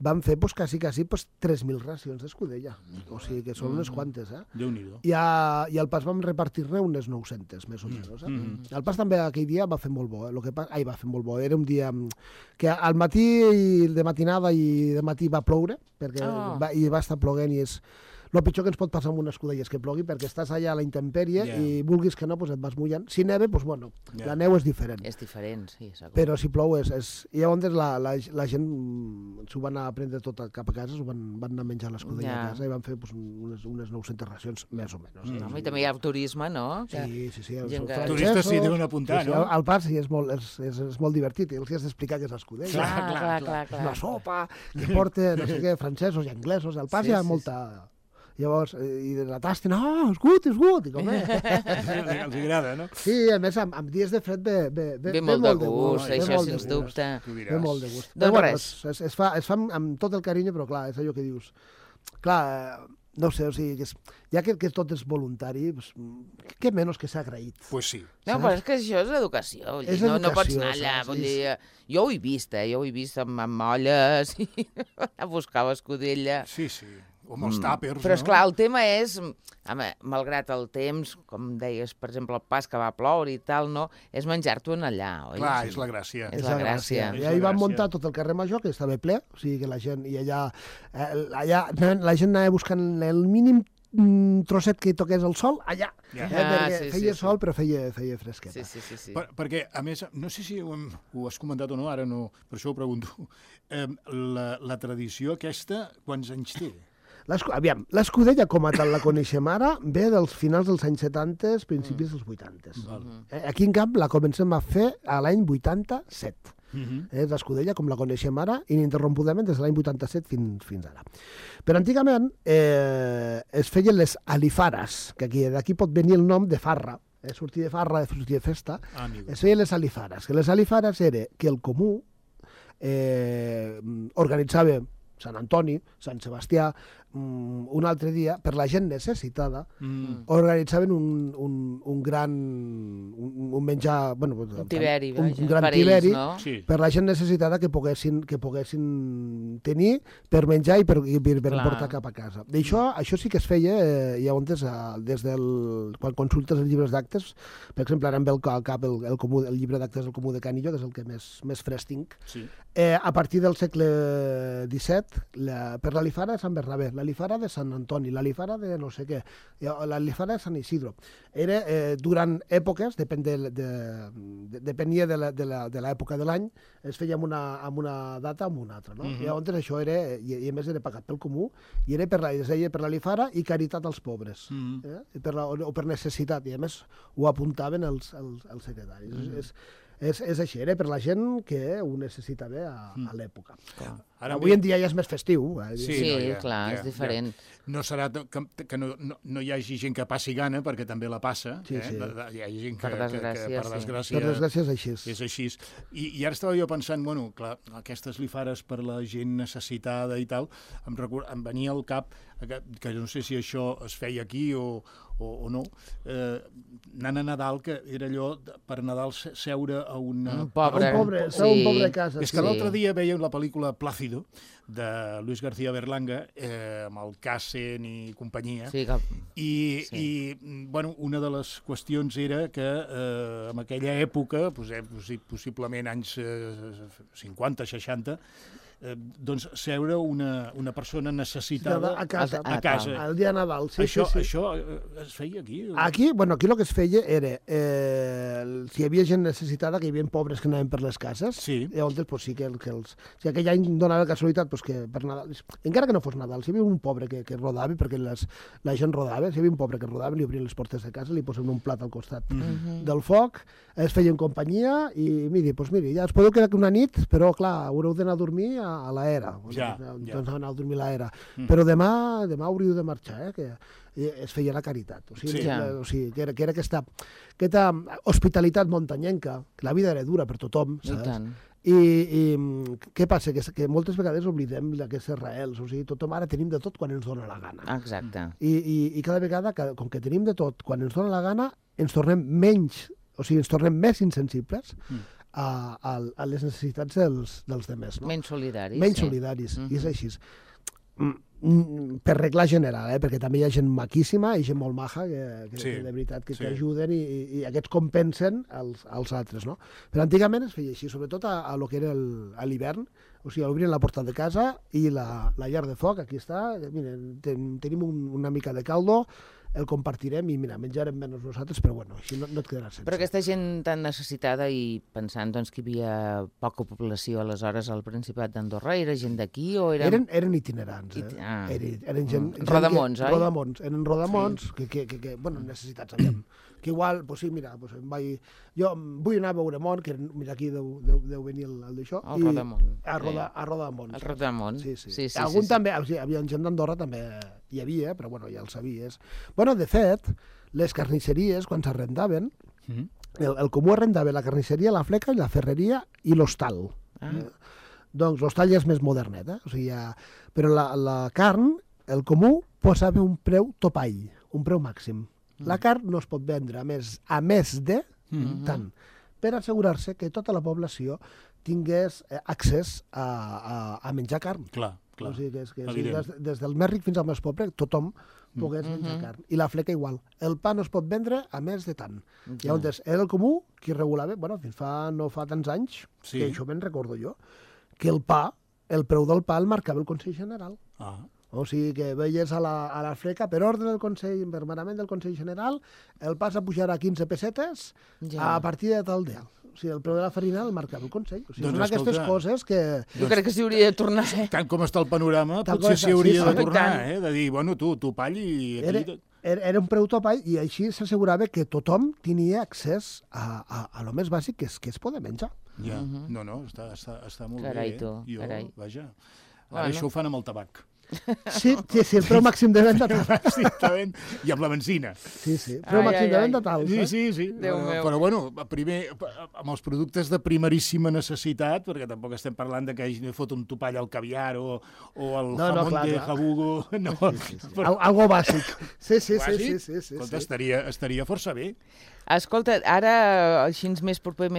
vam fer quasi 3.000 racions d'escudella. O sigui que són unes quantes, eh? Déu-n'hi-do. I al pas vam repartir-ne unes 900, més o menys. El pas també aquell dia va fer molt bo. Va fer molt bo. Era un dia que al matí, de matinada i de matí va ploure, perquè va estar ploguent i és... El pitjor que ens pot passar amb una escudella és que plogui, perquè estàs allà a la intempèrie i vulguis que no, et vas mullant. Si neve, la neu és diferent. És diferent, sí. Però si plou és... I llavors la gent s'ho van a prendre tot cap a casa, s'ho van anar a menjar l'escudella a casa i van fer unes 900 racions, més o menys. I també hi ha el turisme, no? Sí. Els turistes s'hi deuen apuntar, no? Al pas sí, és molt divertit, i els has d'explicar què és l'escudella. Clar. La sopa, que porta, no sé què, francesos i anglesos. Al pas hi ha molta... Llavors, i de la tasten, és gut, i com és? Els agrada, no? Sí, a més, amb dies de fred ve molt de gust, això sens dubte. Ve molt de gust. Doncs res. Es fa amb tot el carinyo, però clar, és allò que dius. Clar, no sé, o sigui, ja que tot és voluntari, què menys que s'ha agraït. Pues sí. No, però és que això és educació. No pots anar allà, vull dir... Jo ho he vist, amb molles, a buscar l'escudella. Sí. O amb els tàpers, però, esclar, el tema és, malgrat el temps, com deies, per exemple, el pas que va ploure i tal, no, és menjar-t'ho allà, oi? Clar, és la gràcia. És la gràcia. I ahir van muntar tot el carrer Major, que estava ple, o sigui que la gent, i allà la gent anava buscant el mínim trosset que toqués el sol, allà. Feia sol, però feia fresqueta. Sí. Perquè, a més, no sé si ho has comentat o no, ara no, per això ho pregunto, la tradició aquesta, quants anys té? Aviam, l'escudella com a tal la coneixem ara ve dels finals dels anys 70, principis dels 80. Aquí en Camp la comencem a fer a l'any 87. És l'escudella com la coneixem ara, ininterrompudament des de l'any 87 fins ara. Però antigament es feien les alifares, que d'aquí pot venir el nom de farra, sortir de farra, sortir de festa, es feien les alifares, que les alifares era que el comú organitzava Sant Antoni, Sant Sebastià, un altre dia, per la gent necessitada, organitzaven un gran menjar... Un tiberi, un gran tiberi per la gent necessitada que poguessin tenir per menjar i per portar cap a casa. Això sí que es feia, llavors, quan consultes els llibres d'actes, per exemple, ara em ve al cap el llibre d'actes del Comú de Canillo, que és el que més fresc tinc. A partir del segle XVII, per l'Alifara de Sant Bernabé, l'Alifara de Sant Antoni, l'Alifara de no sé què, l'Alifara de Sant Isidro. Era durant èpoques, depenia de l'època de l'any, es feia amb una data o amb una altra. Llavors això era, i a més era pagat pel comú, i era es deia per l'Alifara i caritat als pobres, o per necessitat, i a més ho apuntaven els secretaris. És així, era per la gent que ho necessitava a l'època. Avui en dia ja és més festiu. Sí, clar, és diferent. No serà que no hi hagi gent que passi gana, perquè també la passa. Hi ha gent que, per desgràcia és així. És així. I ara estava jo pensant, bueno, clar, aquestes lifares per la gent necessitada i tal, em venia al cap que no sé si això es feia aquí o no, anant a Nadal, que era allò per Nadal seure a una... Un pobre a casa. És que l'altre dia veiem la pel·lícula Plácido, de Luis García Berlanga, amb el Cassen i companyia, i bueno, una de les qüestions era que en aquella època, possiblement anys 50, 60, doncs seure una persona necessitada a casa. El dia de Nadal, Això es feia aquí? Aquí el que es feia era, si hi havia gent necessitada, que hi havia pobres que anaven per les cases, llavors sí que si aquell any donava casualitat que per Nadal, encara que no fos Nadal, si hi havia un pobre que rodava, perquè la gent rodava, si hi havia un pobre que rodava, li obrien les portes de casa, li posaven un plat al costat del foc, es feien companyia i miri, ja us podeu quedar una nit, però clar, haureu d'anar a dormir a l'era. Doncs anar a dormir a l'era. Però demà hauríeu de marxar, que es feia la caritat. O sigui, que era aquesta hospitalitat muntanyenca, que la vida era dura per tothom, saps? I què passa? Que moltes vegades oblidem aquestes arrels. O sigui, tothom ara tenim de tot quan ens dona la gana. Exacte. I cada vegada, com que tenim de tot quan ens dona la gana, ens tornem més insensibles a les necessitats dels demés. Menys solidaris. Menys solidaris, i és així. Per regla general, perquè també hi ha gent maquíssima i gent molt maja que de veritat que ajuden i aquests compensen als altres, no? Però antigament es feia així, sobretot a lo que era l'hivern, o sigui, obrien la porta de casa i la llar de foc, aquí està, tenim una mica de caldo, el compartirem i mira, menjarem menys nosaltres, però bueno, així no et quedaràs sense. Però aquesta gent tan necessitada i pensant doncs, que hi havia poca població aleshores al Principat d'Andorra, era gent d'aquí o eren... Eren itinerants, eren gent... Rodamons, oi? Eren rodamons, que bueno, necessitats aviam. Que igual, doncs sí, mira, jo vull anar a Veuremont, que mira, aquí deu venir el d'això. El Rodamont. A Rodamont. El Rodamont. Sí. Algun també, hi havia gent d'Andorra, també hi havia, però bueno, ja el sabies. Bueno, de fet, les carnisseries, quan s'arrendaven, el comú arrendava la carnisseria, la fleca i la ferreria i l'hostal. Doncs l'hostal ja és més modernet, o sigui, però la carn, el comú, posava un preu topall, un preu màxim. La carn no es pot vendre a més de tant, per assegurar-se que tota la població tingués accés a menjar carn. Clar. O sigui, des del més ric fins al més pobre, tothom pogués menjar carn. I la fleca igual. El pa no es pot vendre a més de tant. Llavors, era el comú qui regulava, fins no fa tants anys, que això me'n recordo jo, que el preu del pa el marcava el Consell General. O sigui que veies a la fleca, per ordre del Consell, per manament del Consell General, el pa s'ha pujat a 15 pessetes a partir de tal dia. O sigui, el preu de la farina el marcava el Consell. O sigui, són aquestes coses que... Jo crec que s'hi hauria de tornar, Tant com està el panorama, potser s'hi hauria de tornar, de dir, bueno, tu pall i... Era un preu topall i així s'assegurava que tothom tenia accés a lo més bàsic, que és poder menjar. Ja, no, està molt bé. Carai, tu, carai. Vaja, ara això ho fan amb el tabac. Sí, el preu màxim de venda tal. I amb la benzina. Sí, preu màxim de venda tal. Sí. Però bueno, primer, amb els productes de primeríssima necessitat, perquè tampoc estem parlant de que hagi de fotre un topall al caviar o el jamón de jabugo. Algo bàsic. Sí. Escolta, estaria força bé. Escolta, ara, així més proper,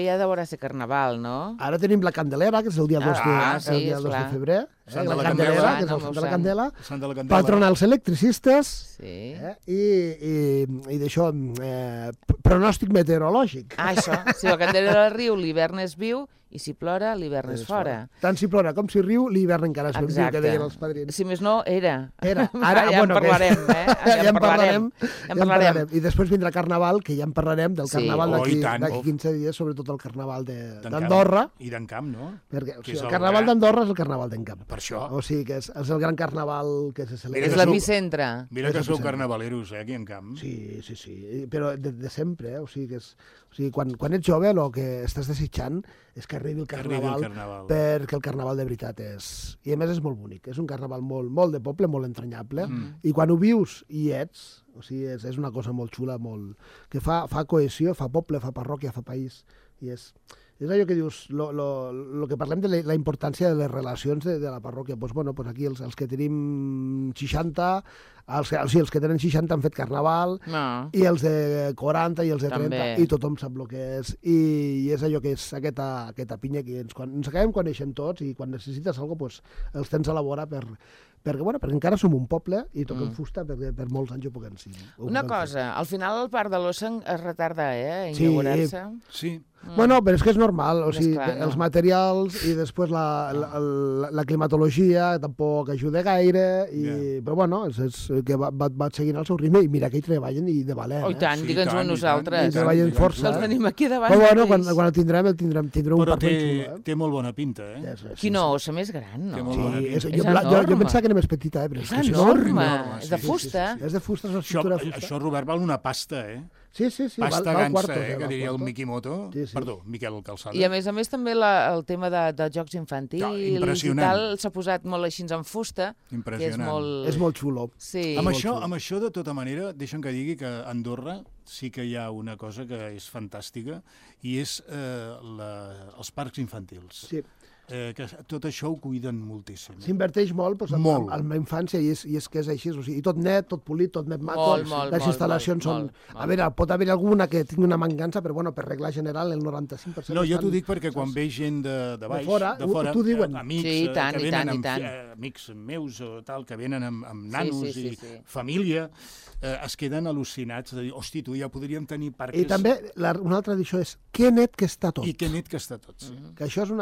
ja deurà ser Carnaval, no? Ara tenim la Candelera, que és el dia 2 de febrer. Sant de la Candela, que és el Sant de la Candela. Patronals electricistes. I d'això, pronòstic meteorològic. Això, si la Candela del riu, l'hivern és viu, i si plora, l'hivern és fora. Tant si plora com si riu, l'hivern encara és viu, que deien els padrins. Si més no, era. Ara, ja en parlarem, Ja en parlarem. I després vindrà Carnaval, que ja en parlarem del Carnaval d'aquí 15 dies, sobretot el Carnaval d'Andorra. I d'Encamp, no? Perquè el Carnaval d'Andorra és el Carnaval d'Encamp. Per això. O sigui que és el gran Carnaval que se celebra. És l'epicentre. Mira que sou carnavaleros, aquí en Camp. Sí. Però de sempre, O sigui, quan ets jove, el que estàs desitjant és que arribi el Carnaval, perquè el Carnaval de veritat és... I a més és molt bonic, és un Carnaval molt de poble, molt entranyable, i quan ho vius i ets, o sigui, és una cosa molt xula, que fa cohesió, fa poble, fa parròquia, fa país, i és És allò que dius, lo que parlem de la importància de les relacions de la parròquia. Pues, bueno, pues aquí els que tenim 60, els que tenen 60 han fet carnaval, i els de 40 i els de 30, també. I tothom sap el que és. I és allò que és aquesta pinya que ens acabem coneixent tots, i quan necessites alguna cosa, pues, els tens a la vora perquè encara som un poble i toquem fusta per molts anys ho puguem ser. Una cosa, al final el parc de l'Ossa es retarda, a inaugurar-se? Sí. Bueno, però és que és normal, o sigui, els materials i després la climatologia tampoc ajuda gaire, però bueno, és que va seguint el seu ritme, i mira que hi treballen i de valent. Oh, i tant, digue'ns-ho a nosaltres. I treballen força. Els tenim aquí davant. Però bueno, quan el tindrem un parc ben xulo. Té molt bona pinta, Quina ossa més gran, no? Sí, jo pensava que era més petita, però és enorme. És de fusta. És de fusta, és una estructura de fusta. Això, Robert, val una pasta, Sí, pasta gansa, que diria el Mikimoto. Perdó, Miquel Calçada. I a més també el tema de jocs infantils i tal s'ha posat molt així en fusta. Impressionant. És molt xulo. Amb això, de tota manera, deixa'm que digui que a Andorra sí que hi ha una cosa que és fantàstica, i és els parcs infantils. Sí. Que tot això ho cuiden moltíssim. S'inverteix molt en la infància, i és que és així. O sigui, tot net, tot polit, tot net maco. Les instal·lacions són... A veure, pot haver alguna que tingui una mancança, però bueno, per regla general el 95%... No, jo t'ho dic perquè quan ve gent de baix, de fora, amics que venen amics meus o tal, que venen amb nanos i família, es queden al·lucinats de dir, hosti, tu ja podríem tenir parques... I també una altra edició és que net que està tot. I que net que està tot, sí. Que això és un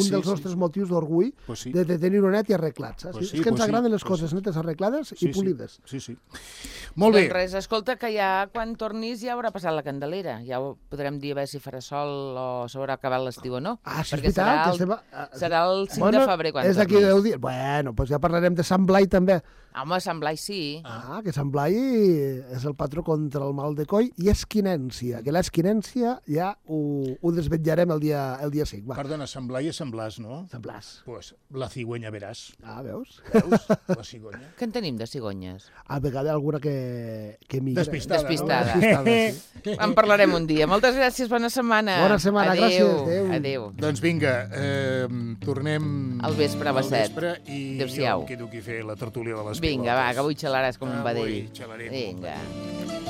dels nostres motius d'orgull, de tenir-ho net i arreglat. És que ens agraden les coses netes, arreglades i polides. Sí. Molt bé. Doncs res, escolta, que ja quan tornis ja haurà passat la Candelera. Ja ho podrem dir a veure si farà sol o s'haurà acabat l'estiu o no. Ah, sí, és veritat. Serà el 5 de febrer quan tornis. És d'aquí 10 dies. Bueno, doncs ja parlarem de Sant Blai també. Home, Sant Blai sí. Que Sant Blai és el patró contra el mal de coll i esquinència, que l'esquinència ja ho desvetllarem el dia 5. Perdona, Sant Blai és Sant Blas, no? Sant Blas. Pues la cigüenya veràs. Veus? La cigonya. Què en tenim de cigonyes? A vegades alguna que migra. Despistada. En parlarem un dia. Moltes gràcies, bona setmana. Bona setmana, gràcies. Adéu. Doncs vinga, tornem al vespre a les 7. I jo em quedo aquí a fer la tertúlia de les pilotes. Vinga, va, que avui xalaràs com un vedell. Avui xalaré com un vedell. Vinga.